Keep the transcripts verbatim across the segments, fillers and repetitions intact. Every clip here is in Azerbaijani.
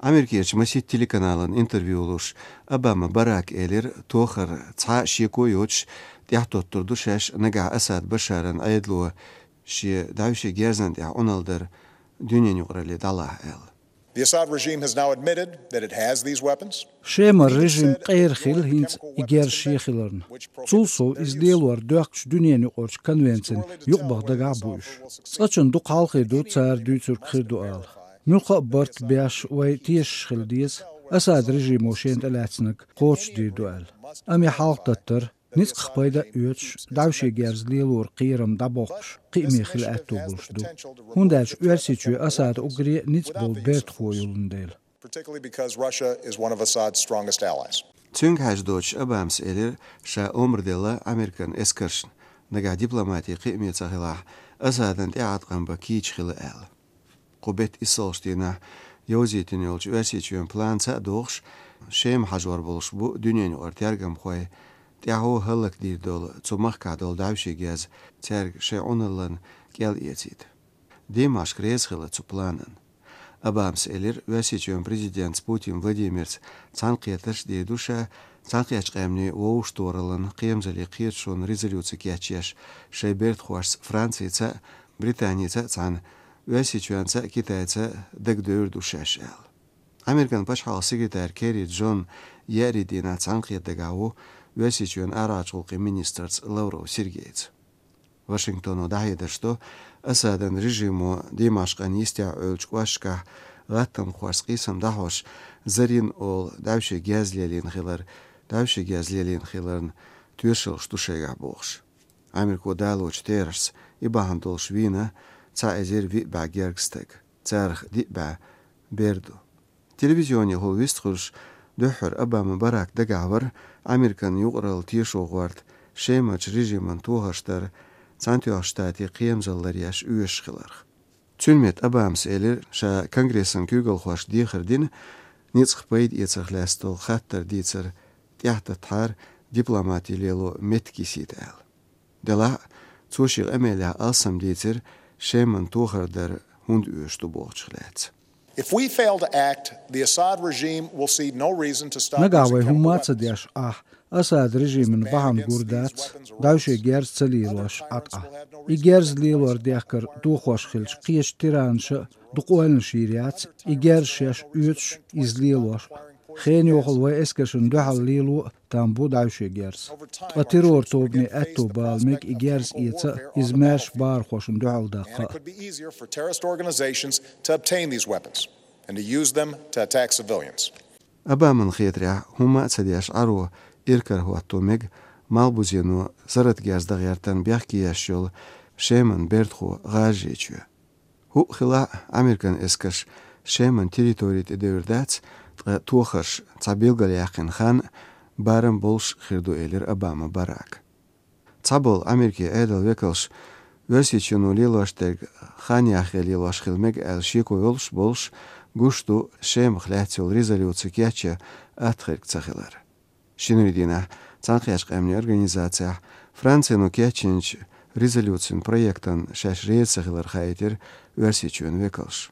Amerikiyeci Masit telekanalın interview oluş Obama Barack elir tohar ça şikoyoç dihtotturdu şeş naga Asad Bashar'ın ayedlu şi davşi gerzen ya onaldır dünyanın yuqrali dalah el. The Assad regime has now admitted that it has these weapons. Şema rejim qeyrxil hint iger şixilarn. Zulso izdeelwar döqç dünyanı qorç konvensiyon yuqbaqda gabuş. Saçın du qalqidu tsar dütür qirdu al. Mulqa bart biash way tish khildiz Assad rejim oşent alatsnik qorç didu al. Ami halqtatır nis qpayda üç davşi gerzlielur qiram daboqş qimi xil atubulşdu. Hundaç üelsiçü Assad ugri nis bol bert khoyulundel. Particularly because Russia is one of Assad's strongest allies. Tünk hajdoç Obams elir şa omrdela Amerikan eskarşn naga diplomati qimi tsahilah Assadın tiatqan bakiç xil al. Qubet isolştina yozitin yolç üelsiçüen plansa doğş şem hajwar boluş bu dünyanı ortergam khoy Tiaho halak dir dol tsumach kadol davshi gez terg she onalan gel yetit. Dimash kreskhila zu planen. Abams elir vesichön prezident Putin Vladimir Tsanqiyatash de dusha Tsanqiyach qamni wowshtoralan qiyamzali qiyatshon rezolюция kyachish Sheybert khwas Frantsiya Britaniya tsan vesichön tsa Kitayca degdör dushashal. Amerikan pashhal sekretar Kerry John Yeridina Tsanqiyatagawo Весичен арачулки министрц Лавров Сергеевич. Вашингтону дайда, что Асаден режиму Димашкан истя ölçkвашка гаттам хварскисам дахош зарин ол давши гязлелин хилар давши гязлелин хиларн тюшел штушега бохш. Америку далоч терс и бахандол швина ца эзер ви багергстек. Царх ди ба берду. Телевизиони хол вистхуш Döhür Obama Barack dagavr Amerikan yuqral tişoğwart şemaç rejimin tuğaştar Santiago shtati qiyamzallar yaş üyeşqilar. Tülmet Obams elir şa kongresin kügel xoş dixirdin nitsqpayd etsaqlastol xattar ditser tiyahta tar diplomati lelo metkisit al. Dela tsoshir emela alsam ditser sheman tuğardar hund üyeştu boğçqlats. If we fail to act, the Assad regime will see no reason to stop Nagaway using chemical humatsa weapons. diash ah Assad režimin baham gurdats davşe gerz celilosh at'a. I gerz lilor diakar duxosh khilch qish tiransh duqoeln shiriats I gerz shash üç izlilosh Xeni oxul way eskashun duhal lilu tambu davşe gerz. A terror tobni atto balmek I gerz ietsa izmash bar khoshun duhal And daqa. it could be easier for terrorist organizations to obtain these weapons and to use them to attack civilians. Obama'nın xiyatria humatsa diash aro irkar huatomeg malbuzenu zarat gazda yartan biaqi yashol sheman bertxo gajechü. Hu xila Amerikan eskash sheman territorit ederdats tuxash tsabilgal yaqin khan baram bolsh xirdu elir Obama Barack. Tsabol Amerika edel vekalsh versichunu lilashteg khan yaxeli lashkhilmeg al shiko yolsh bolsh gushtu shem xlatsol rezolюция kyacha atxirk tsaxilar. Shinridina Tsanqiyach qamni organizatsiya Fransiyanu kyachinch rezolюциyan proyektan shash reetsaxilar xaytir versichun vekalsh.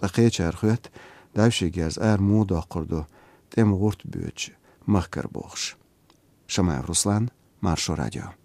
Aqechar xuyat davshi gaz ar muda qurdu tem gurt büch mahkar boxsh. Shamayev Ruslan, Marsho Radio.